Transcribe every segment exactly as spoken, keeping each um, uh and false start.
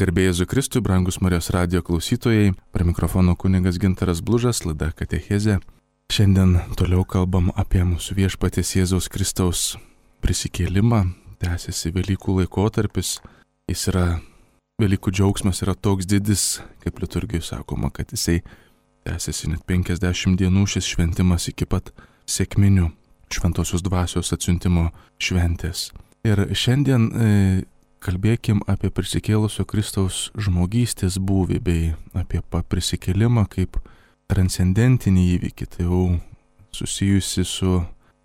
Garbė Jėzui Kristui, brangus Marijos radijo klausytojai, prie mikrofono kunigas Gintaras Blužas, laida Katechezė. Šiandien toliau kalbam apie mūsų viešpaties Jėzaus Kristaus prisikėlimą. Tęsiasi Velykų laikotarpis. Jis yra, Velykų džiaugsmas yra toks didis, kaip liturgijai sakoma, kad jisai tęsiasi net penkiasdešimt dienų šis šventimas iki pat sekminių šventosios dvasios atsiuntimo šventės. Ir šiandien e, kalbėkim apie prisikėlusio Kristaus žmogystės būvį bei apie prisikėlimą kaip transcendentinį įvykį, tai jau susijusi su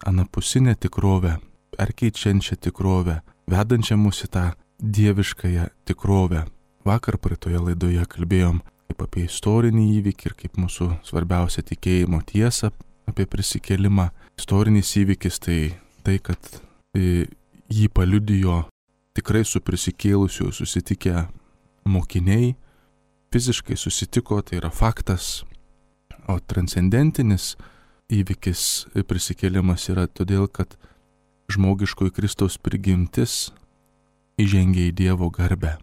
anapusinė tikrovė, perkeičiančia tikrovė, vedančia mus į tą dieviškąją tikrovę. Vakar praeitoje laidoje kalbėjom kaip apie istorinį įvykį ir kaip mūsų svarbiausia tikėjimo tiesa apie prisikėlimą. Istorinis įvykis tai tai, kad jį paliudijo tikrai su prisikėlusiu susitikę mokiniai, fiziškai susitiko, tai yra faktas, o transcendentinis įvykis prisikėlimas yra todėl, kad žmogiškoji Kristaus prigimtis įžengė į Dievo garbę.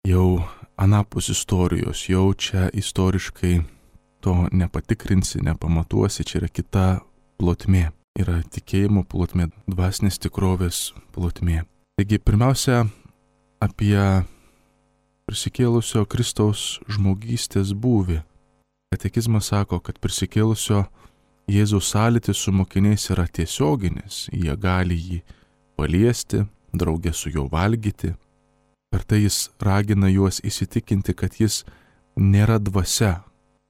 Jau anapus istorijos, jau čia istoriškai to nepatikrinsi, nepamatuosi, čia yra kita plotmė, yra tikėjimo plotmė, dvasinės tikrovės plotmė. Taigi, pirmiausia, apie prisikėlusio Kristaus žmogystės būvį. Katekizmas sako, kad prisikėlusio Jėzaus sąlytis su mokiniais yra tiesioginis, jie gali jį paliesti, draugė su juo valgyti. Per tai jis ragina juos įsitikinti, kad jis nėra dvasia,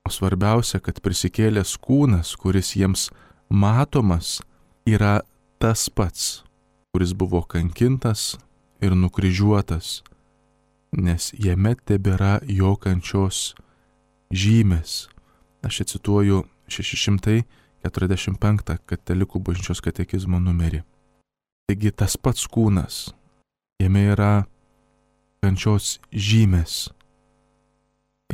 o svarbiausia, kad prisikėlęs kūnas, kuris jiems matomas, yra tas pats, kuris buvo kankintas ir nukryžiuotas, nes jame tebėra jo kančios žymės. Aš čia cituoju šeši šimtai keturiasdešimt penktą katalikų bažnyčios katekizmo numerį. Taigi tas pats kūnas, jame yra kančios žymės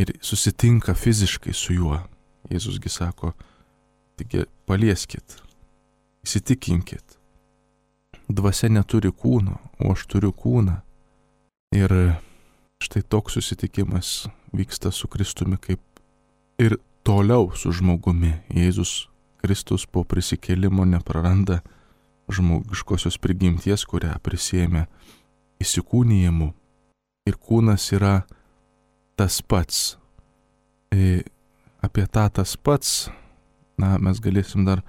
ir susitinka fiziškai su juo. Jėzusgi sako, taigi palieskit, įsitikinkit. Dvasia neturi kūno, o aš turiu kūną. Ir štai toks susitikimas vyksta su Kristumi kaip ir toliau su žmogumi. Jėzus Kristus po prisikėlimo nepraranda žmogiškosios prigimties, kurią prisėmė įsikūnijimu. Ir kūnas yra tas pats. E, apie tą tas pats, na, mes galėsim dar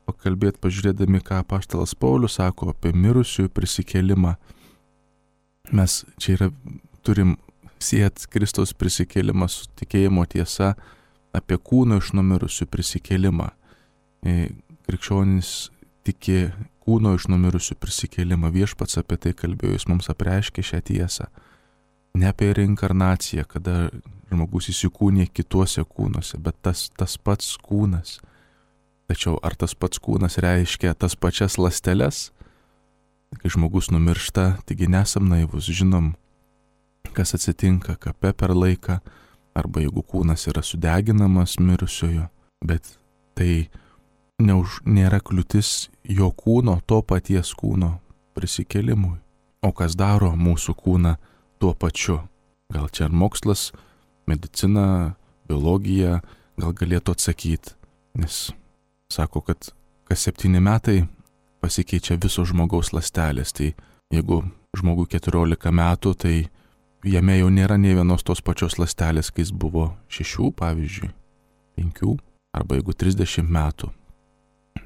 pakalbėti, pažiūrėdami, ką apaštalas Paulius sako apie mirusiųjų prisikėlimą. Mes čia yra, turim siet Kristaus prisikėlimą su tikėjimo tiesa apie kūno iš numirusių prisikėlimą. Krikščionys tiki kūno iš numirusių prisikėlimą. Viešpats apie tai kalbėjo, jis mums apreiškė šią tiesą. Ne apie reinkarnaciją, kada žmogus įsikūnė kituose kūnuose, bet tas, tas pats kūnas. Tačiau ar tas pats kūnas reiškia tas pačias ląsteles? Kai žmogus numiršta, taigi nesam naivus, žinom, kas atsitinka kape per laiką, arba jeigu kūnas yra sudeginamas mirusiojo, bet tai neuž, nėra kliūtis jo kūno, to paties kūno prisikėlimui. O kas daro mūsų kūną tuo pačiu? Gal čia ar mokslas, medicina, biologija gal galėtų atsakyti, nes sako, kad kas septyni metai pasikeičia visos žmogaus ląstelės. Tai jeigu žmogui keturiolika metų, tai jame jau nėra nei vienos tos pačios ląstelės, kai jis buvo šešių, pavyzdžiui, penkių, arba jeigu trisdešimt metų.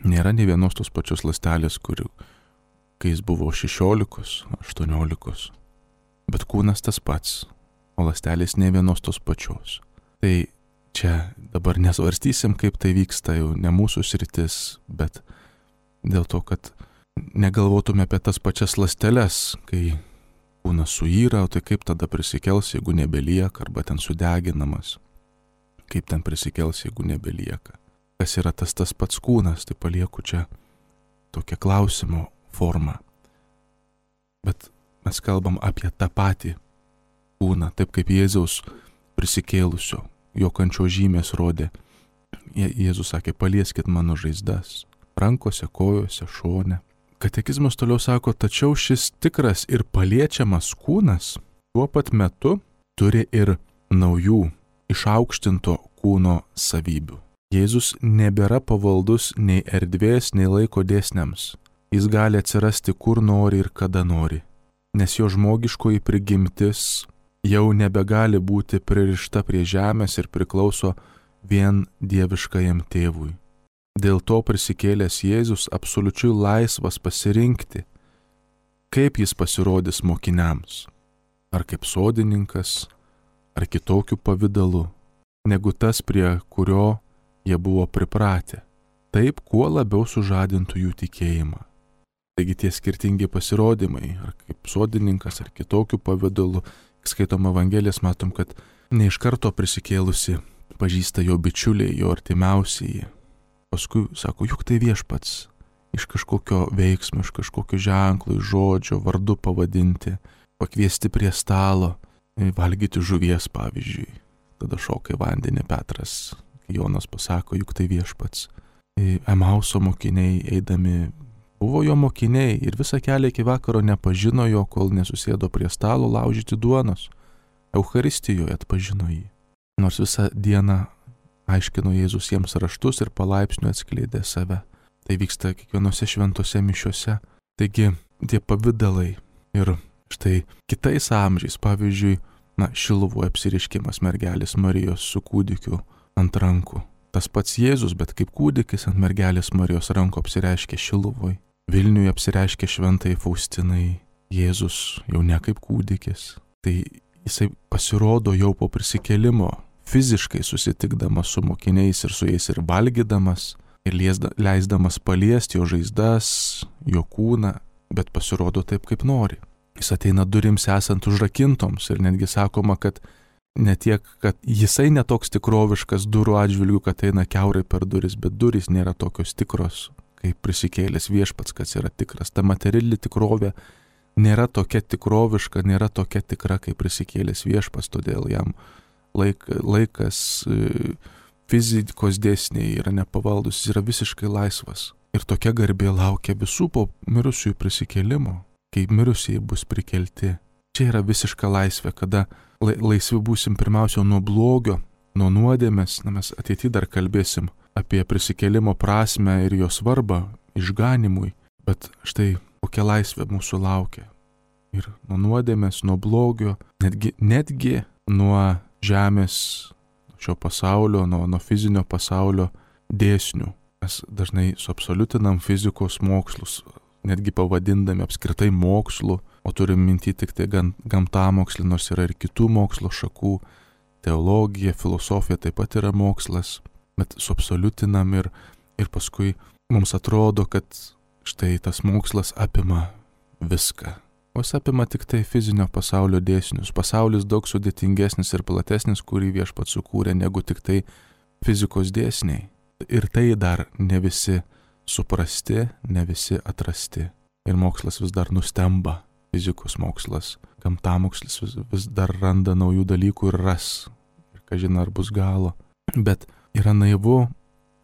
Nėra nei vienos tos pačios ląstelės, kur, kai jis buvo šešiolikos, aštuoniolikos. Bet kūnas tas pats, o ląstelės nei vienos tos pačios. Tai čia dabar nesvarstysim, kaip tai vyksta, jau ne mūsų sritis, bet dėl to, kad negalvotume apie tas pačias ląsteles, kai kūnas suyra, o tai kaip tada prisikels, jeigu nebelieka, arba ten sudeginamas. Kaip ten prisikels, jeigu nebelieka. Kas yra tas tas pats kūnas, tai palieku čia tokią klausimo formą. Bet mes kalbam apie tą patį kūną, taip kaip Jėzaus prisikėlusio. Jo kančio žymės rodė. Jėzus sakė, palieskit mano žaizdas, rankose, kojose, šone. Katekizmas toliau sako, tačiau šis tikras ir paliečiamas kūnas tuo pat metu turi ir naujų, išaukštinto kūno savybių. Jėzus nebėra pavaldus nei erdvės, nei laiko dėsniams. Jis gali atsirasti kur nori ir kada nori, nes jo žmogiškoji prigimtis jau nebegali būti pririšta prie žemės ir priklauso vien dieviškajam tėvui. Dėl to prisikėlęs Jėzus absoliučiai laisvas pasirinkti, kaip jis pasirodys mokiniams, ar kaip sodininkas, ar kitokiu pavidalu, negu tas, prie kurio jie buvo pripratę, taip kuo labiau sužadintų jų tikėjimą. Taigi tie skirtingi pasirodymai, ar kaip sodininkas, ar kitokiu pavidalu, skaitom Evangelijas, matom, kad ne iš karto prisikėlusi pažįsta jo bičiuliai, jo artimiausieji. Paskui sako, juk tai viešpats, iš kažkokio veiksmo, iš kažkokio ženklo, iš žodžio, vardu pavadinti, pakviesti prie stalo, valgyti žuvies pavyzdžiui. Tada šoka į vandenį Petras, kai Jonas pasako, juk tai viešpats. Emauso mokiniai eidami buvo jo mokiniai ir visą kelią iki vakaro nepažino jo, kol nesusėdo prie stalo laužyti duonos. Eucharistijoje atpažino jį. Nors visą dieną aiškino Jėzus jiems raštus ir palaipsniui atskleidė save. Tai vyksta kiekvienose šventose mišiose. Taigi tie pavidalai ir štai kitais amžiais, pavyzdžiui, na, Šiluvoje apsireiškimas mergelės Marijos su kūdikiu ant rankų. Tas pats Jėzus, bet kaip kūdikis ant mergelės Marijos rankų apsireiškė Šiluvoje. Vilniuje apsireiškė šventai Faustinai, Jėzus jau ne kaip kūdikis. Tai jisai pasirodo jau po prisikėlimo, fiziškai susitikdamas su mokiniais ir su jais ir valgydamas, ir leisdamas paliesti jo žaizdas, jo kūną, bet pasirodo taip, kaip nori. Jis ateina durims esant užrakintoms ir netgi sakoma, kad ne tiek, kad jisai netoks tikroviškas durų atžvilgių, kad eina kiaurai per duris, bet durys nėra tokios tikros, kaip prisikėlęs viešpats, kas yra tikras. Ta materiali tikrovė nėra tokia tikroviška, nėra tokia tikra, kaip prisikėlęs viešpats, todėl jam laik, laikas, fizikos dėsniai yra nepavaldus, jis yra visiškai laisvas. Ir tokia garbė laukia visų po mirusiųjų prisikėlimo, kai mirusieji bus prikelti. Čia yra visiška laisvė, kada laisvi būsim pirmiausia nuo blogio, nuo nuodėmės, na mes ateityje dar kalbėsim apie prisikėlimo prasmę ir jo svarbą išganimui, bet štai kokia laisvė mūsų laukia. Ir nuo nuodėmės, nuo blogio, netgi, netgi nuo žemės, šio pasaulio, nuo, nuo fizinio pasaulio dėsnių. Mes dažnai suabsoliutinam fizikos mokslus, netgi pavadindami apskritai mokslu, o turim minti tik tai gamtamokslį, nors yra ir kitų mokslo šakų, teologija, filosofija taip pat yra mokslas, bet suabsoliutinam ir, ir paskui mums atrodo, kad štai tas mokslas apima viską. O jis apima tik tai fizinio pasaulio dėsnius. Pasaulis daug sudėtingesnis ir platesnis, kurį viešpats sukūrė, negu tik tai fizikos dėsniai. Ir tai dar ne visi suprasti, ne visi atrasti. Ir mokslas vis dar nustemba. Fizikos mokslas, gamtamokslis vis, vis dar randa naujų dalykų ir ras. Ir kažin ar bus galo. Bet yra naivu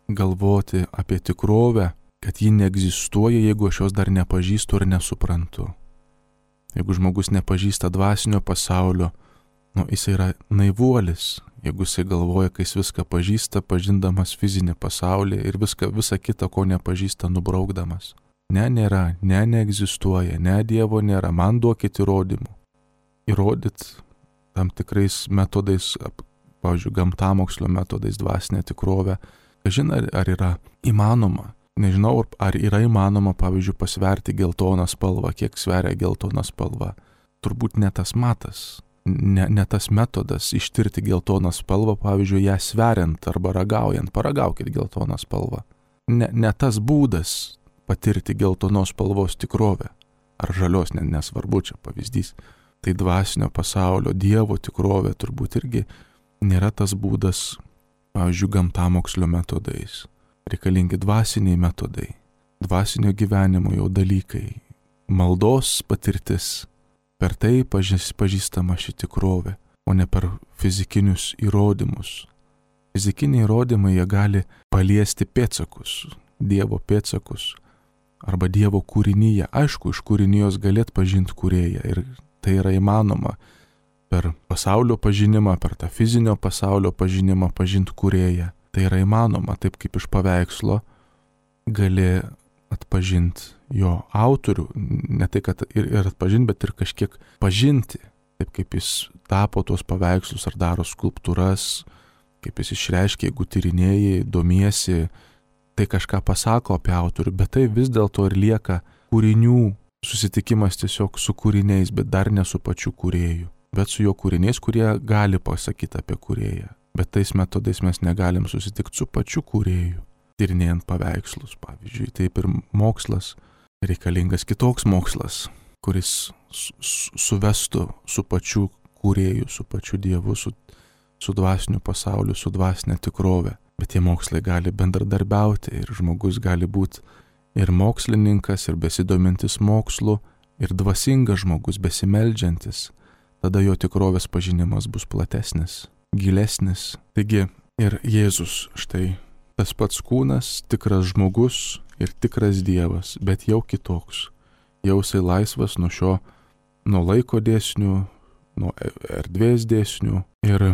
galvoti apie tikrovę, kad ji neegzistuoja, jeigu aš jos dar nepažįstu ir nesuprantu. Jeigu žmogus nepažįsta dvasinio pasaulio, nu, jis yra naivuolis. Jeigu jis galvoja, kai jis viską pažįsta, pažindamas fizinį pasaulį ir viską, visą kitą, ko nepažįsta, nubraukdamas. Ne, nėra, ne, neegzistuoja, ne, Dievo nėra, man duokit įrodymų. Įrodyt tam tikrais metodais, pavyzdžiui, gamtamokslio metodais dvasinę tikrovę. Kažin, ar, ar yra įmanoma. Nežinau, ar yra įmanoma, pavyzdžiui, pasverti geltoną spalvą, kiek sveria geltona spalva. Turbūt ne tas matas, ne, ne tas metodas ištirti geltoną spalvą, pavyzdžiui, ją sveriant arba ragaujant, paragaukit geltoną spalvą. Ne, ne tas būdas patirti geltonos spalvos tikrovę, ar žalios, ne, nesvarbu, čia pavyzdys. Tai dvasinio pasaulio, Dievo tikrovė turbūt irgi nėra tas būdas, pavyzdžiui, gamtamokslio metodais. Reikalingi dvasiniai metodai, dvasinio gyvenimo jau dalykai, maldos patirtis, per tai pažįst, pažįstama ši tikrovė, o ne per fizikinius įrodymus. Fizikiniai įrodymai jie gali paliesti pėdsakus, Dievo pėdsakus, arba Dievo kūrinyje. Aišku, iš kūrinijos gali atpažinti kūrėją ir tai yra įmanoma. per pasaulio pažinimą, per tą fizinio pasaulio pažinimą pažinti kūrėją. Tai yra įmanoma, taip kaip iš paveikslo gali atpažinti jo autorių, ne tai, kad ir, ir atpažinti, bet ir kažkiek pažinti, taip kaip jis tapo tuos paveikslus ar daro skulptūras, kaip jis išreiškia, jeigu tyrinėjai, domiesi, tai kažką pasako apie autorių, bet tai vis dėlto ir lieka kūrinių susitikimas tiesiog su kūriniais, bet dar ne su pačiu kūrėju, bet su jo kūriniais, kurie gali pasakyti apie kūrėją. Bet tais metodais mes negalim susitikti su pačiu kūrėju, tyrinėjant paveikslus, pavyzdžiui. Taip ir mokslas, reikalingas kitoks mokslas, kuris suvestų su pačiu kūrėju, su pačiu Dievu, su, su dvasiniu pasauliu, su dvasinė tikrovė. Bet tie mokslai gali bendradarbiauti ir žmogus gali būti ir mokslininkas, ir besidomintis mokslu, ir dvasingas žmogus, besimeldžiantis. Tada jo tikrovės pažinimas bus platesnis, gilesnis. Taigi ir Jėzus, štai tas pats kūnas, tikras žmogus ir tikras Dievas, bet jau kitoks. Jau jisai laisvas nuo šio, nuo laiko dėsnių, nuo erdvės dėsnių. Ir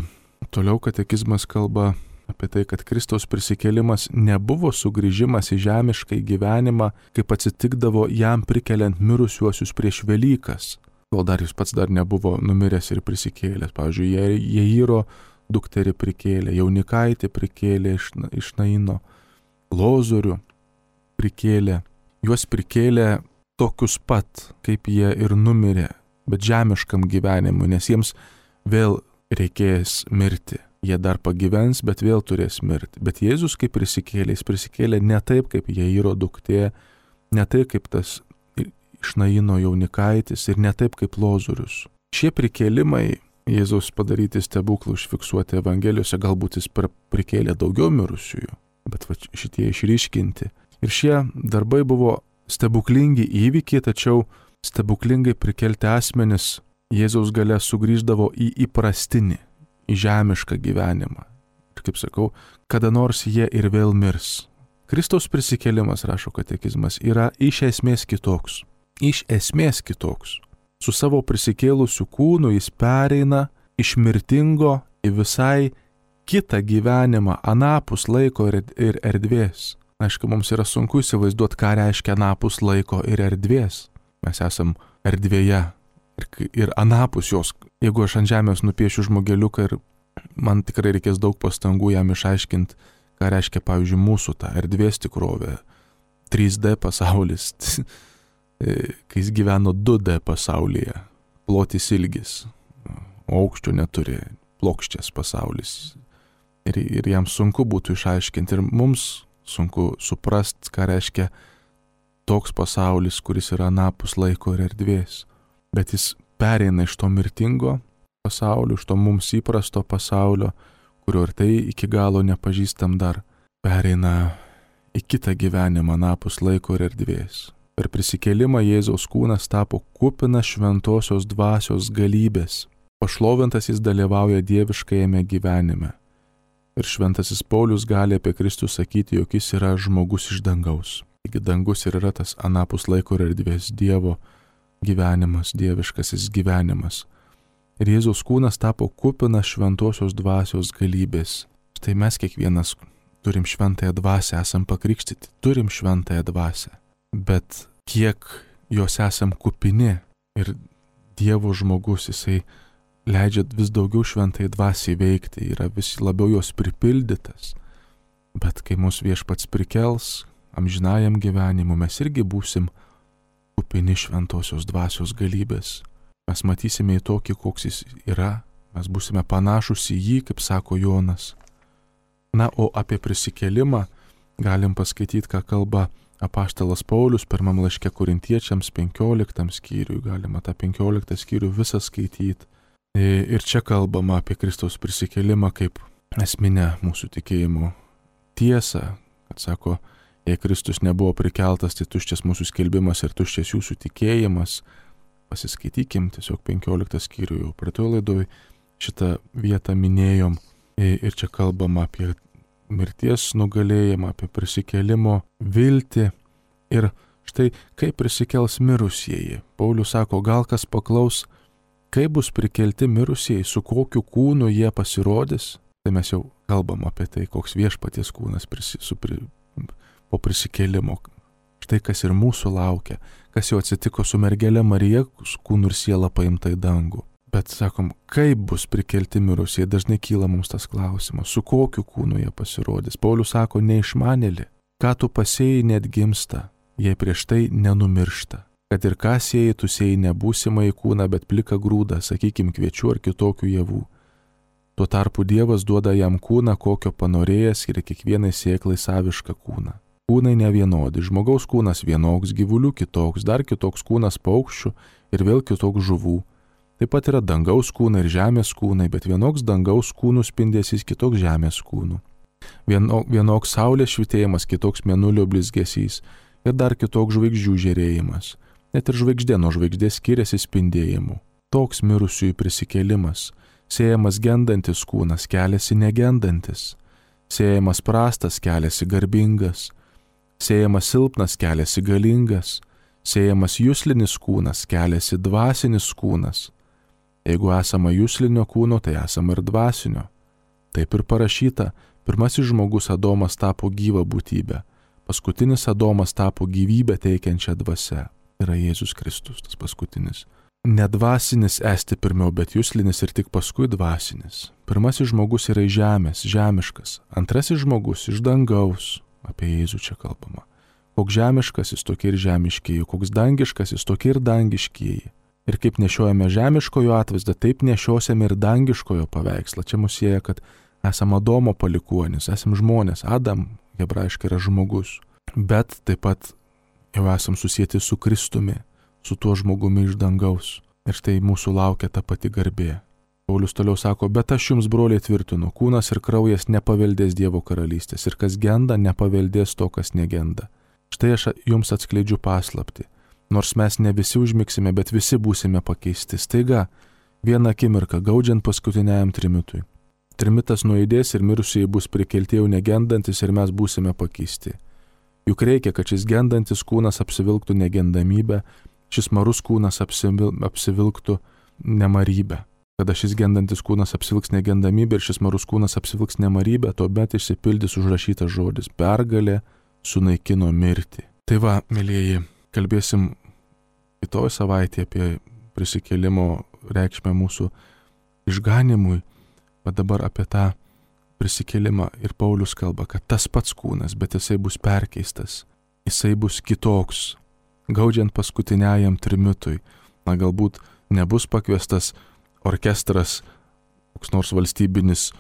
toliau katekizmas kalba apie tai, kad Kristaus prisikėlimas nebuvo sugrįžimas į žemišką gyvenimą, kaip atsitikdavo jam prikeliant mirusiuosius prieš Velykas, kol dar jis pats dar nebuvo numiręs ir prisikėlęs. Pavyzdžiui, Jairo dukterį prikėlė, Jaunikaitį prikėlė iš, iš Naino, Lozorių prikėlė. Juos prikėlė tokius pat, kaip jie ir numirė, bet žemiškam gyvenimui, nes jiems vėl reikės mirti. Jie dar pagyvens, bet vėl turės mirti. Bet Jėzus, kaip prisikėlė, jis prisikėlė ne taip, kaip Jairo duktė, ne taip, kaip tas iš Naino Jaunikaitis ir ne taip, kaip Lozorius. Šie prikėlimai, Jėzaus padaryti stebuklų užfiksuoti Evangelijose, galbūt jis prikėlė daugiau mirusiųjų, bet va, šitie išryškinti. Ir šie darbai buvo stebuklingi įvykiai, tačiau stebuklingai prikelti asmenis Jėzaus gale sugrįždavo į įprastinį, į žemišką gyvenimą. Ir kaip sakau, kada nors jie ir vėl mirs. Kristaus prisikėlimas, rašo katekizmas, yra iš esmės kitoks. Iš esmės kitoks. Su savo prisikėlusiu kūnu jis pereina iš mirtingo į visai kitą gyvenimą, anapus laiko ir erdvės. Aišku, mums yra sunku įsivaizduoti, ką reiškia anapus laiko ir erdvės. Mes esam erdvėje ir, ir anapus jos. Jeigu aš ant žemės nupiešiu žmogeliuką ir man tikrai reikės daug pastangų jam išaiškinti, ką reiškia, pavyzdžiui, mūsų ta erdvės tikrovė, trys D pasaulis, kai jis gyveno du D pasaulyje, plotis ilgis, aukščio neturi, plokščias pasaulis. Ir, ir jam sunku būtų išaiškinti, ir mums sunku suprasti, ką reiškia toks pasaulis, kuris yra anapus laiko ir erdvės. Bet jis pereina iš to mirtingo pasaulio, iš to mums įprasto pasaulio, kurio ir tai iki galo nepažįstam dar, pereina į kitą gyvenimą anapus laiko ir erdvės. Per prisikėlimą Jėzaus kūnas tapo kupinas šventosios dvasios galybės. Pašlovintas jis dalyvauja dieviškajame gyvenime. Ir šventasis Paulius gali apie Kristų sakyti, jog jis yra žmogus iš dangaus. Taigi dangus ir yra tas anapus laiko ir erdvės Dievo gyvenimas, dieviškasis gyvenimas. Ir Jėzaus kūnas tapo kupinas šventosios dvasios galybės. Štai mes kiekvienas turim šventąją dvasią, esam pakrikštyti, turim šventąją dvasią. Bet kiek jos esam kupini ir Dievo žmogus, jisai leidžia vis daugiau šventai dvasiai veikti, yra vis labiau jos pripildytas. Bet kai mūsų viešpats prikels amžinajam gyvenimu, mes irgi būsim kupini šventosios dvasios galybės. Mes matysime į tokį, koks jis yra, mes būsime panašus į jį, kaip sako Jonas. Na, o apie prisikėlimą galim paskaityti, ką kalba apaštalas Paulius pirmam laiške Korintiečiams penkioliktam skyriui, galima tą penkioliktą skyrių visą skaityti. Ir čia kalbama apie Kristaus prisikėlimą kaip esminę mūsų tikėjimo tiesą, kad sako, jei Kristus nebuvo prikeltas, tai tuščias mūsų skelbimas ir tuščias jūsų tikėjimas. Pasiskaitykim tiesiog penkioliktą skyrių, jau praeitoje laidoje šitą vietą minėjom. Ir čia kalbama apie mirties nugalėjimą, apie prisikėlimo viltį. Ir štai kaip prisikels mirusieji. Paulius sako, gal kas paklaus, kaip bus prikelti mirusieji, su kokiu kūnu jie pasirodys. Tai mes jau kalbam apie tai, koks viešpaties kūnas prisi, su, pri, po prisikėlimo. Štai kas ir mūsų laukia, kas jau atsitiko su mergelė Marija, kūnu ir siela paimta į dangų. Bet sakom, kaip bus prikelti mirusieji, dažnai kyla mums tas klausimas, su kokiu kūnu jie pasirodys. Paulius sako, neišmanėli, ką tu pasėjai net gimsta, jei prieš tai nenumiršta. Kad ir ką sėjai, tu sėjai ne būsimą į kūną, bet pliką grūdą, sakykim, kviečių ar kitokių javų. Tuo tarpu Dievas duoda jam kūną, kokio panorėjęs ir kiekvienai sėklai savišką kūną. Kūnai nevienodi, žmogaus kūnas vienoks, gyvulių kitoks, dar kitoks kūnas paukščių ir vėl kitoks žuvų. Taip pat yra dangaus kūnai ir žemės kūnai, bet vienoks dangaus kūnų spindesys, kitoks žemės kūnų. Vieno, vienoks saulės švitėjimas, kitoks mėnulio blizgesys ir dar kitoks žvaigždžių žėrėjimas. Net ir žvaigždė nuo žvaigždės skiriasi spindėjimu. Toks mirusiųjų prisikėlimas. Sėjamas gendantis kūnas keliasi negendantis. Sėjamas prastas keliasi garbingas. Sėjamas silpnas keliasi galingas. Sėjamas juslinis kūnas keliasi dvasinis kūnas. Jeigu esama juslinio kūno, tai esama ir dvasinio. Taip ir parašyta, pirmasis žmogus Adomas tapo gyva būtybė, paskutinis Adomas tapo gyvybę teikiančią dvasią. Yra Jėzus Kristus, tas paskutinis. Ne dvasinis esti pirmiau, bet juslinis ir tik paskui dvasinis. Pirmasis žmogus yra iš žemės, žemiškas. Antrasis žmogus iš dangaus. Apie Jėzų čia kalbama. Koks žemiškas jis tokie ir žemiškieji, koks dangiškas jis tokie ir dangiškieji. Ir kaip nešiojame žemiškojo atvaizdą, taip nešiosime ir dangiškojo paveikslą. Čia mus sieja, kad esame Adomo palikuonis, esame žmonės. Adam, hebrajiškai, yra žmogus. Bet taip pat jau esam susieti su Kristumi, su tuo žmogumi iš dangaus. Ir štai mūsų laukia ta pati garbė. Paulius toliau sako, bet aš jums, broliai, tvirtinu, kūnas ir kraujas nepaveldės Dievo karalystės, ir kas genda, nepaveldės to, kas negenda. Štai aš jums atskleidžiu paslaptį. Nors mes ne visi užmigsime, bet visi būsime pakeisti. Staiga, vieną akimirką, gaudžiant paskutiniajam trimitui. Trimitas nuaidės ir mirusieji bus prikelti jau negendantis ir mes būsime pakeisti. Juk reikia, kad šis gendantis kūnas apsivilktų negendamybę, šis marus kūnas apsivil, apsivilktų nemarybę. Kada šis gendantis kūnas apsivilks negendamybę ir šis marus kūnas apsivilks nemarybę, tuomet išsipildys užrašytas žodis – pergalė sunaikino mirtį. Tai va, mėlyjeji, kalbėsim kitoj savaitėje apie prisikėlimo reikšmę mūsų išganimui, bet dabar apie tą prisikėlimą ir Paulius kalba, kad tas pats kūnas, bet jisai bus perkeistas, jisai bus kitoks, gaudžiant paskutiniajam trimitui. Na, galbūt nebus pakviestas orkestras, koks nors valstybinis,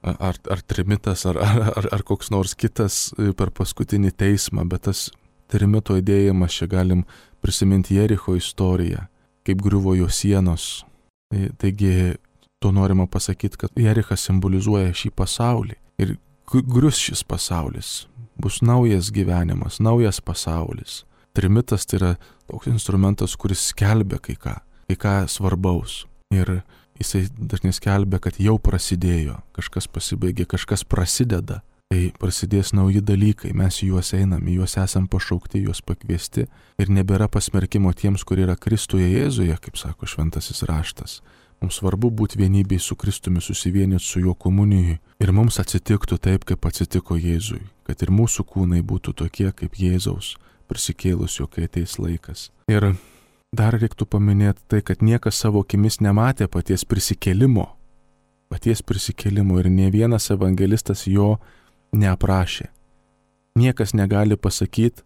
ar, ar trimitas, ar, ar, ar koks nors kitas per paskutinį teismą, bet tas trimito įdėjimas, čia galim prisiminti Jericho istoriją, kaip griuvo jo sienos. Taigi, to norima pasakyti, kad Jerichas simbolizuoja šį pasaulį. Ir grius šis pasaulis, bus naujas gyvenimas, naujas pasaulis. Trimitas tai yra toks instrumentas, kuris skelbia kai ką, kai ką svarbaus. Ir jisai dažnai skelbia, kad jau prasidėjo, kažkas pasibaigė, kažkas prasideda. Tai prasidės nauji dalykai, mes į juos einam, į juos esam pašaukti, juos pakviesti ir nebėra pasmerkimo tiems, kurie yra Kristuje Jėzuje, kaip sako šventasis raštas. Mums svarbu būti vienybėj su Kristumi, susivienyti su juo komunijui ir mums atsitiktų taip, kaip atsitiko Jėzui, kad ir mūsų kūnai būtų tokie kaip Jėzaus, prisikėlusio, kai ateis laikas. Ir dar reiktų paminėti tai, kad niekas savo akimis nematė paties prisikėlimo, paties prisikėlimo ir ne vienas evangelistas jo neaprašė. Niekas negali pasakyti,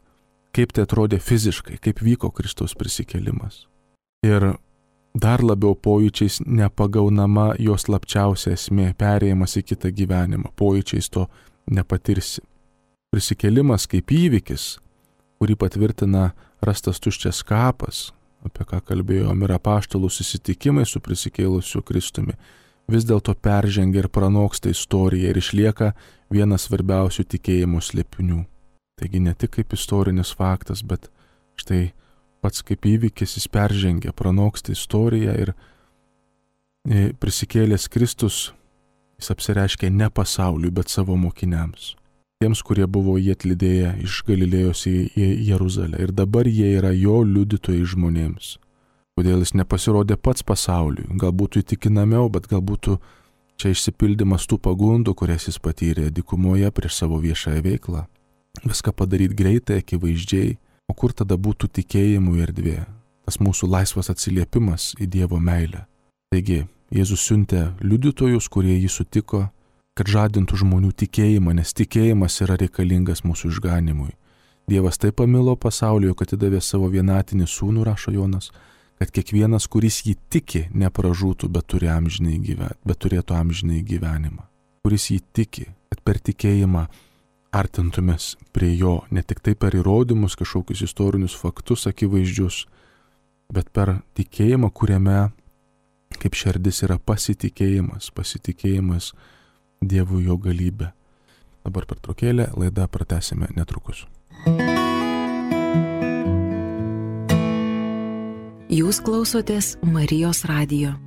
kaip tai atrodė fiziškai, kaip vyko Kristaus prisikėlimas. Ir dar labiau pojūčiais nepagaunama jos slapčiausia esmė, perėjimas į kitą gyvenimą, pojūčiais to nepatirsi. Prisikėlimas kaip įvykis, kurį patvirtina rastas tuščias kapas, apie ką kalbėjom, ir apaštalų susitikimai su prisikėlusiu Kristumi, vis dėlto peržengia ir pranoksta istoriją ir išlieka vienas svarbiausių tikėjimo slėpinių. Taigi ne tik kaip istorinis faktas, bet štai pats kaip įvykis jis peržengia, pranoksta istoriją ir prisikėlęs Kristus jis apsireiškia ne pasauliui, bet savo mokiniams. Tiems, kurie buvo jį atlydėję iš Galilėjos į Jeruzalę ir dabar jie yra jo liudytojai žmonėms. kodėl jis nepasirodė pats pasauliui. Galbūt įtikinamiau, bet galbūt čia išsipildymas tų pagundų, kurias jis patyrė dykumoje prieš savo viešąją veiklą. Viską padaryti greitai, akivaizdžiai, o kur tada būtų tikėjimų erdvė, tas mūsų laisvas atsiliepimas į Dievo meilę. Taigi, Jėzus siuntė liudytojus, kurie jį sutiko, kad žadintų žmonių tikėjimą, nes tikėjimas yra reikalingas mūsų išganimui. Dievas taip pamilo pasaulį, kad atidavė savo vienatinį sūnų, rašo Jonas, kad kiekvienas, kuris jį tiki, nepražūtų, bet, turi amžinai gyven, bet turėtų amžinai gyvenimą. Kuris jį tiki, kad per tikėjimą artintumės prie jo, ne tik tai per įrodymus, kažkokius istorinius faktus akivaizdžius, bet per tikėjimą, kuriame kaip šerdis yra pasitikėjimas, pasitikėjimas Dievu jo galybę. Dabar pertraukėlė, laidą pratęsime netrukus. Jūs klausotės Marijos radijo.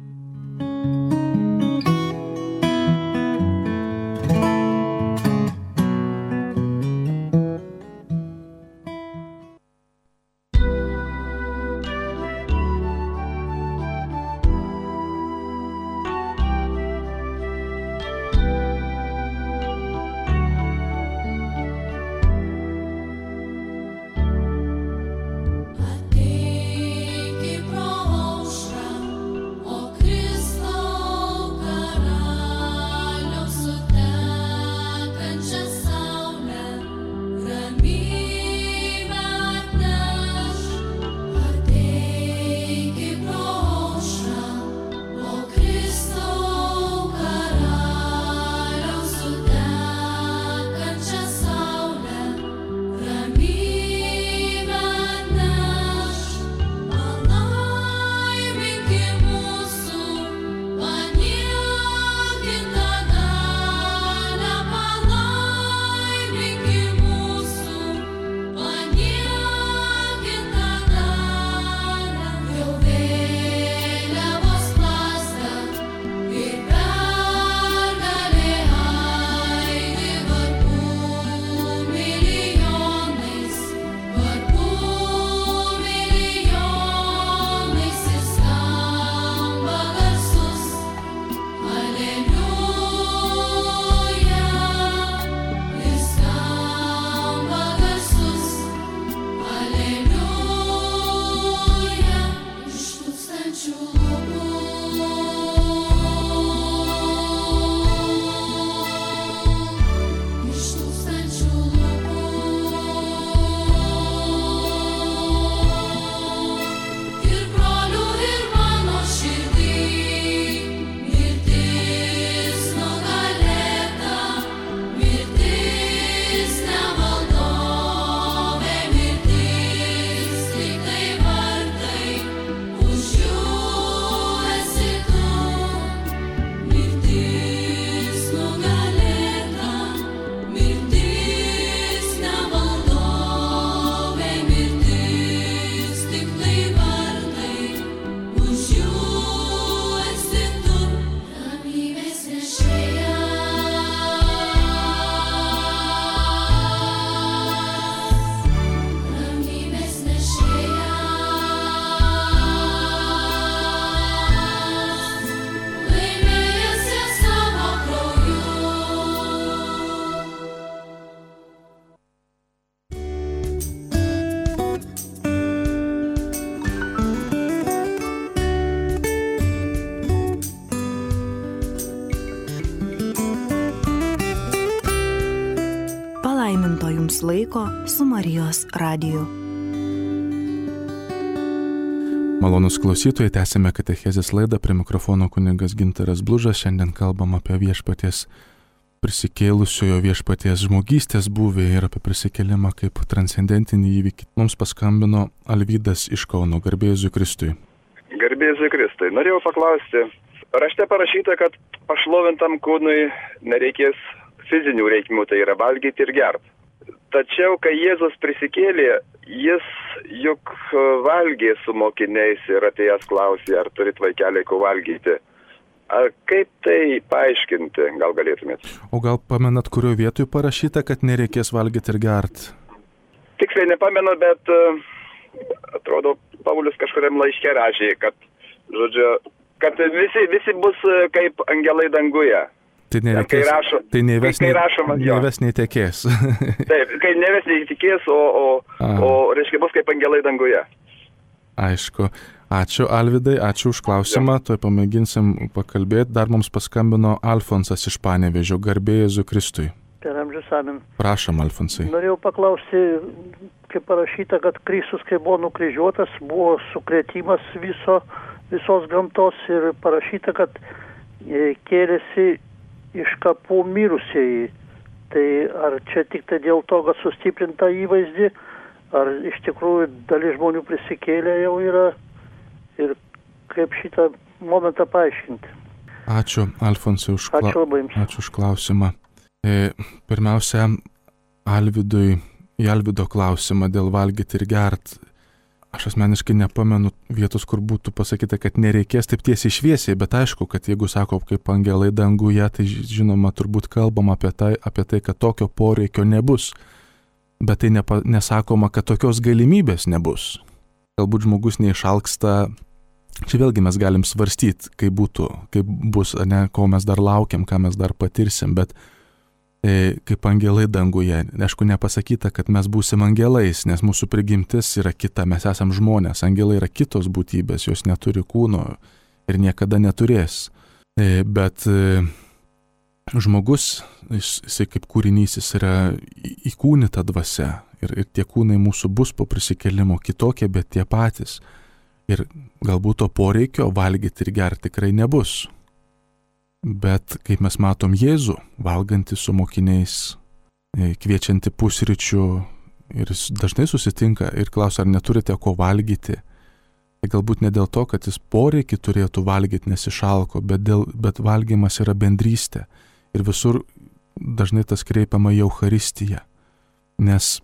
Laiko su Marijos radiju. Malonus klausytojai, tęsime katechezės laidą, prie mikrofono kunigas Gintaras Blužas. Šiandien kalbam apie viešpaties prisikėlusiojo viešpaties žmogystės būvį ir apie prisikėlimą kaip transcendentinį įvykį. Mums paskambino Alvydas iš Kauno. Garbė Jėzui Kristui. Garbė Jėzui Kristui. Norėjau paklausti, rašte parašyta, kad pašlovintam kūnui nereikės fizinių reikmių, tai yra valgyti ir gerti. Tačiau, kai Jėzus prisikėlė, jis juk valgė su mokiniais ir atėjęs klausė, ar turit vaikeliai ko valgyti. Ar kaip tai paaiškinti, gal galėtumėt? O gal pamenat, kurio vietoj parašyta, kad nereikės valgyti ir gerti? Tiksliai nepamenu, bet atrodo Paulius kažkuriam laiške rašė, kad, žodžiu, kad visi, visi bus kaip angelai danguje. Tai nereikės, rašo, tai nei ves, nei, nei, ves nei tekės. Taip, kai ne ves nei tekės, o, o, o reiškia bus kaip angelai danguje. Aišku. Ačiū Alvydai, ačiū už klausimą, tuoj pamėginsim pakalbėti. Dar mums paskambino Alfonsas iš Panevėžio, garbė Jėzui Kristui. Per amžius amen. Prašom, Alfonsai. Norėjau paklausti, kaip parašyta, kad Kristus, kai buvo nukryžiuotas, buvo sukrėtimas viso, visos gamtos ir parašyta, kad kėlėsi iš kapų mirusieji. Tai ar čia tik tai dėl to, kad sustiprinta įvaizdį, ar iš tikrųjų dalis žmonių prisikėlė jau yra ir kaip šitą momentą paaiškinti. Ačiū, Alfonsai, už, kla... Ačiū, Ačiū už klausimą. E, pirmiausia, Alvydui, į Alvydo klausimą dėl valgyti ir gert. Aš asmeniškai nepamenu vietos, kur būtų pasakyta, kad nereikės taip tiesiai šviesiai, bet aišku, kad jeigu sako kaip angelai danguje, tai žinoma, turbūt kalbam apie tai, apie tai, kad tokio poreikio nebus. Bet tai nepa, nesakoma, kad tokios galimybės nebus. Galbūt žmogus neišalksta, čia vėlgi mes galim svarstyti, kaip būtų, kaip bus, ne, ko mes dar laukiam, ką mes dar patirsim, bet e, kaip angelai danguje. Aišku, nepasakyta, kad mes būsim angelais, nes mūsų prigimtis yra kita, mes esam žmonės, angelai yra kitos būtybės, jos neturi kūno ir niekada neturės. E, bet e, žmogus, jisai kaip kūrinys, jis yra įkūnita dvasia ir, ir tie kūnai mūsų bus po prisikėlimo kitokie, bet tie patys. Ir galbūt to poreikio valgyti ir gerti tikrai nebus. Bet kaip mes matom Jėzų, valgantį su mokiniais, kviečiantį pusryčių ir jis dažnai susitinka ir klausia, ar neturite ko valgyti. Tai galbūt ne dėl to, kad jis poreikį turėtų valgyti, nes išalko, bet, dėl, bet valgymas yra bendrystė. Ir visur dažnai tas kreipiama į Eucharistiją, nes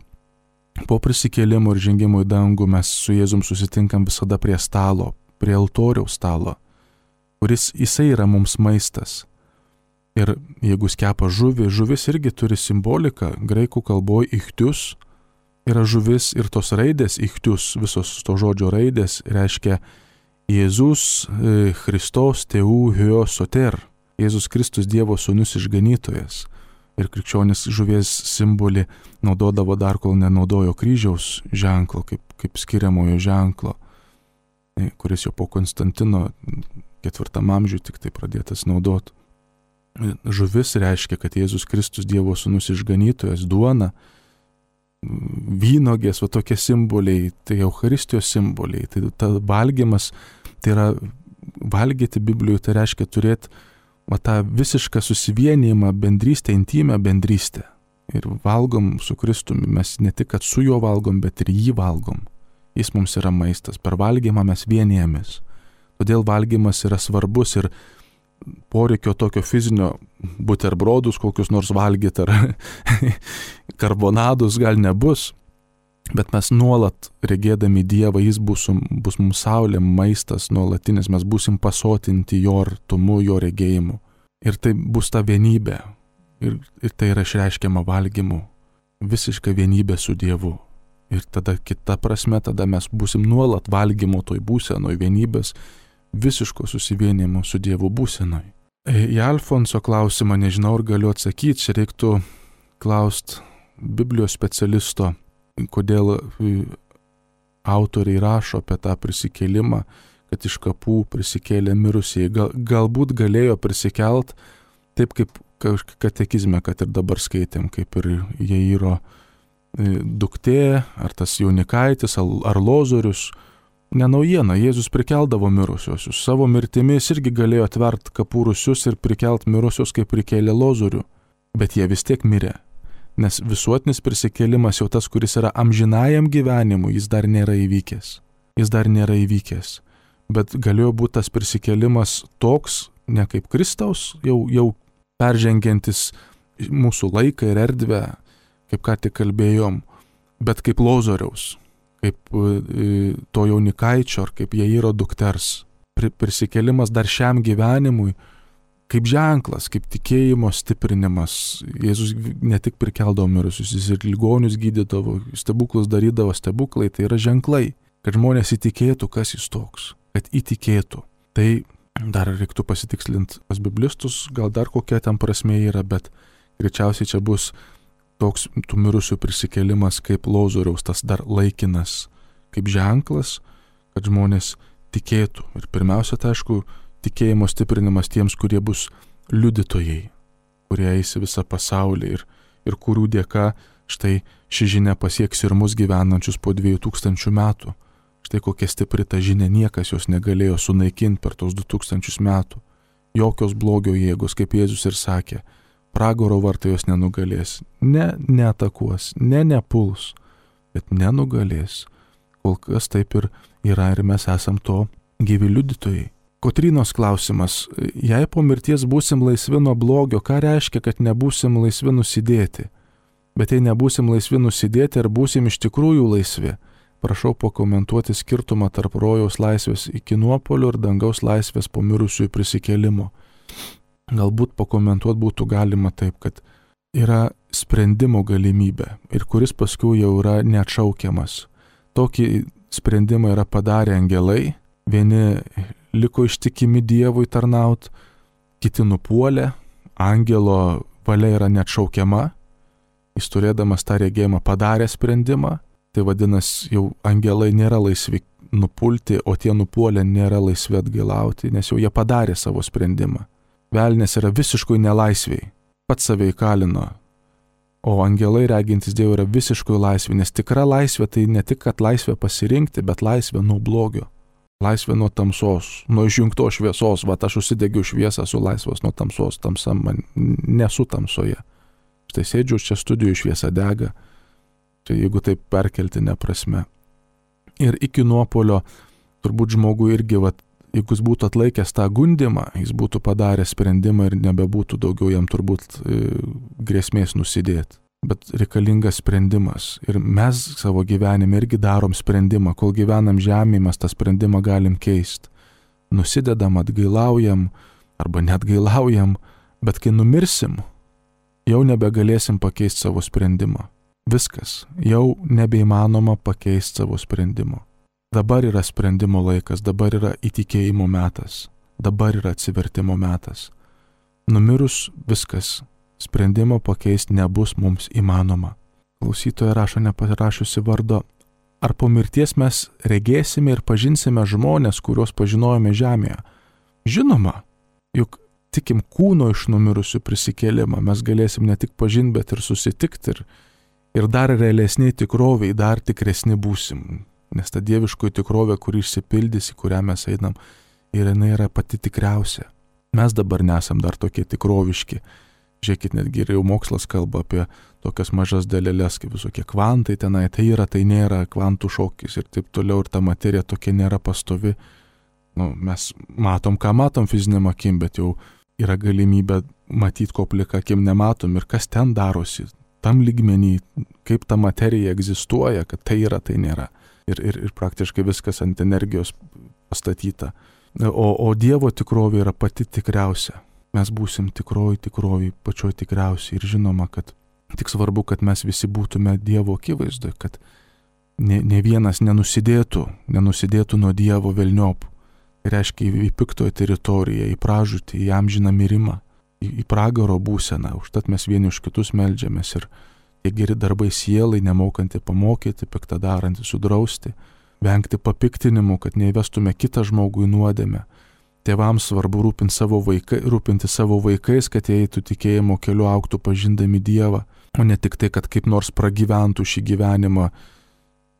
po prisikėlimo ir žengimo į dangų mes su Jėzum susitinkam visada prie stalo, prie altoriaus stalo, kuris jisai yra mums maistas. Ir jeigu skepa žuvį, žuvis irgi turi simboliką, graikų kalboje ichtius yra žuvis ir tos raidės ichtius, visos to žodžio raidės reiškia Jėzus Christos Teu Hio Soter. Jėzus Kristus Dievo sūnus išganytojas. Ir krikščionis žuvies simbolį naudodavo dar, kol nenaudojo kryžiaus ženklo, kaip, kaip skiriamojo ženklo, kuris jau po Konstantino ketvirtam amžiui tik tai pradėtas naudoti. Žuvis reiškia, kad Jėzus Kristus Dievo sūnus išganytojas, duona, vynogės, va tokie simboliai, tai Eucharistijos simboliai. Tai ta valgymas, tai yra valgyti Biblijoje, tai reiškia turėti va tą visišką susivienijimą, bendrystę, intimę bendrystę. Ir valgom su Kristumi, mes ne tik, kad su juo valgom, bet ir jį valgom. Jis mums yra maistas, per valgymą mes vienijamės. Todėl valgymas yra svarbus ir poreikio tokio fizinio buterbrodus kokius nors valgyti ar karbonadus gal nebus, bet mes nuolat regėdami Dievą, jis bus, bus mums saulė, maistas nuolatinis, mes būsim pasotinti jo artumu, jo regėjimu. Ir tai bus ta vienybė. Ir, ir tai yra išreiškiama valgymu. Visiška vienybė su Dievu. Ir tada kita prasme, tada mes būsim nuolat valgymo toj būsenoj, vienybės, visiško susivienimo su Dievu būsenoj. Į Alfonso klausimą nežinau, ar galiu atsakyti, čia reiktų klaust Biblijos specialisto, kodėl autoriai rašo apie tą prisikėlimą, kad iš kapų prisikėlė mirusieji. Gal, galbūt galėjo prisikelt taip, kaip katekizme, kad ir dabar skaitėm, kaip ir Jairo duktė, ar tas jaunikaitis, ar Lozorius. Ne naujiena, Jėzus prikeldavo mirusiosius. Savo mirtimis irgi galėjo atvert kapų rūsius ir prikelt mirusius, kaip prikėlė Lozorių. Bet jie vis tiek mirė. Nes visuotinis prisikėlimas jau tas, kuris yra amžinajam gyvenimui, jis dar nėra įvykęs. Jis dar nėra įvykęs. Bet galėjo būti tas prisikėlimas toks, ne kaip Kristaus, jau, jau peržengiantis mūsų laiką ir erdvę, kaip ką tik kalbėjom, bet kaip Lozoriaus, kaip to jaunikaičio, ar kaip Jairo dukters. Prisikėlimas dar šiam gyvenimui, kaip ženklas, kaip tikėjimo stiprinimas. Jėzus ne tik prikeldavo mirusius, jis ir ligonius gydydavo, stebuklus darydavo, stebuklai, tai yra ženklai, kad žmonės įtikėtų, kas jis toks, kad įtikėtų. Tai dar reiktų pasitikslinti pas biblistus, gal dar kokia ten prasmė yra, bet greičiausiai čia bus toks tų mirusių prisikėlimas kaip Lozoriaus, tas dar laikinas, kaip ženklas, kad žmonės tikėtų. Ir pirmiausia, tai aišku, tikėjimo stiprinimas tiems, kurie bus liudytojai, kurie eis į visą pasaulį ir, ir kurių dėka štai ši žinia pasieks ir mus gyvenančius po dviejų tūkstančių metų. Štai kokia stipri ta žinia, niekas jos negalėjo sunaikinti per tos du tūkstančius metų. Jokios blogio jėgos, kaip Jėzus ir sakė, pragaro vartai jos nenugalės. Ne neatakuos, ne nepuls, bet nenugalės. Kol kas taip ir yra ir mes esam to gyvi liudytojai. Kotrynos klausimas, jei po mirties būsim laisvi nuo blogio, ką reiškia, kad nebūsim laisvi nusidėti? Bet jei nebūsim laisvi nusidėti, ar būsim iš tikrųjų laisvi? Prašau pakomentuoti skirtumą tarp rojaus laisvės iki nuopolio ir dangaus laisvės po mirusiųjų prisikėlimo. Galbūt pakomentuoti būtų galima taip, kad yra sprendimo galimybė ir kuris paskui jau yra neatšaukiamas. Tokį sprendimą yra padarę angelai, vieni liko ištikimi Dievui tarnaut, kiti nupuolė, angelo valia yra neatšaukiama, jis turėdamas tą regėjimą padarė sprendimą, tai vadinasi, jau angelai nėra laisvi nupulti, o tie nupuolę nėra laisvi atgailauti, nes jau jie padarė savo sprendimą. Velnės yra visiškai nelaisviai, pats save įkalino, o angelai regintis Dievui yra visiškai laisvi, nes tikra laisvė tai ne tik, kad laisvė pasirinkti, bet laisvė nuo blogio, laisvė nuo tamsos, nuo išjungtos šviesos, va aš užsidegiu šviesą, esu laisvas nuo tamsos, tamsa man nesu tamsoje. Štai sėdžiu čia studijų, šviesa dega. Tai jeigu taip perkeltinė prasme. Ir iki nuopolio turbūt žmogui irgi, vat, jeigu jis būtų atlaikęs tą gundimą, jis būtų padaręs sprendimą ir nebebūtų daugiau jam turbūt e, grėsmės nusidėti. Bet reikalingas sprendimas. Ir mes savo gyvenime irgi darom sprendimą. Kol gyvenam žemėje, mes tą sprendimą galim keisti. Nusidedam, atgailaujam arba neatgailaujam, bet kai numirsim, jau nebegalėsim pakeisti savo sprendimą. Viskas, jau nebeįmanoma pakeisti savo sprendimo. Dabar yra sprendimo laikas, dabar yra įtikėjimo metas, dabar yra atsivertimo metas. Numirus viskas, sprendimo pakeisti nebus mums įmanoma. Klausytoja rašo neparašiusi vardo, ar po mirties mes regėsime ir pažinsime žmonės, kuriuos pažinojome žemėje? Žinoma, juk tikim kūno iš numirusių prisikėlimą, mes galėsim ne tik pažinti, bet ir susitikti ir Ir dar realesniai tikroviai, dar tikresni būsim. Nes ta dieviškoji tikrovė, kuri išsipildys, į kurią mes einam, ir jinai yra pati tikriausia. Mes dabar nesam dar tokie tikroviški. Žiūrėkit, netgi ir jau mokslas kalba apie tokias mažas dalelės, kaip visokie kvantai tenai, tai yra, tai nėra, kvantų šokis ir taip toliau, ir ta materija tokia nėra pastovi. Nu, mes matom, ką matom fiziniam akim, bet jau yra galimybė matyti, ko plika akim nematom ir kas ten darosi. Tam lygmenį, kaip ta materija egzistuoja, kad tai yra, tai nėra. Ir, ir, ir praktiškai viskas ant energijos pastatyta. O, o Dievo tikrovė yra pati tikriausia. Mes būsim tikroji tikroji, pačioj tikriausiai. Ir žinoma, kad tik svarbu, kad mes visi būtume Dievo akivaizdoje, kad ne, ne vienas nenusidėtų, nenusidėtų nuo Dievo velniop. Tai reiškia į, į piktoją teritoriją, į pražūtį, į amžiną mirimą. Į, į pragaro būseną, užtat mes vieni už kitus meldžiamės ir tie geri darbai sielai, nemokanti pamokyti, piktą darantį sudrausti, vengti papiktinimų, kad neįvestume kitą žmogų į nuodėmę. Tėvams svarbu rūpinti savo, vaikai, rūpinti savo vaikais, kad jie eitų tikėjimo keliu, augtų pažindami Dievą, o ne tik tai, kad kaip nors pragyventų šį gyvenimą,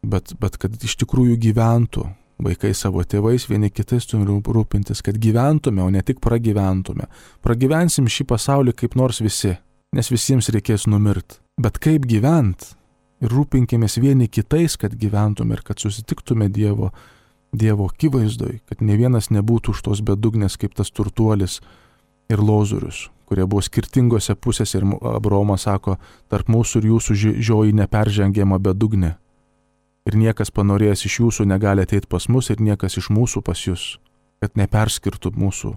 bet, bet kad iš tikrųjų gyventų. Vaikai savo tėvais, vieni kitais turi rūpintis, kad gyventume, o ne tik pragyventume. Pragyvensim šį pasaulį kaip nors visi, nes visiems reikės numirti. Bet kaip gyvent? Ir rūpinkimės vieni kitais, kad gyventume ir kad susitiktume Dievo, Dievo akivaizdoj, kad ne vienas nebūtų už tos bedugnės kaip tas turtuolis ir Lozorius, kurie buvo skirtingose pusėse ir Abraomas sako, tarp mūsų ir jūsų žioji neperžengiama bedugnė. Ir niekas panorėjęs iš jūsų negali ateiti pas mus ir niekas iš mūsų pas jūs, kad neperskirtų mūsų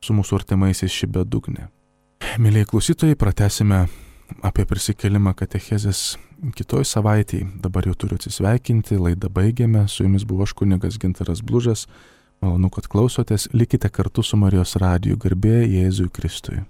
su mūsų artimaisiais ši bedugnė. Mėlyje klausytojai, pratęsime apie prisikėlimą katechezės kitoj savaitėj. Dabar jau turiu atsisveikinti, laidą baigėme. Su jumis buvo aš kunigas Gintaras Blužas. Malonu, kad klausotės. Likite kartu su Marijos radiju. Garbė Jėzui Kristui.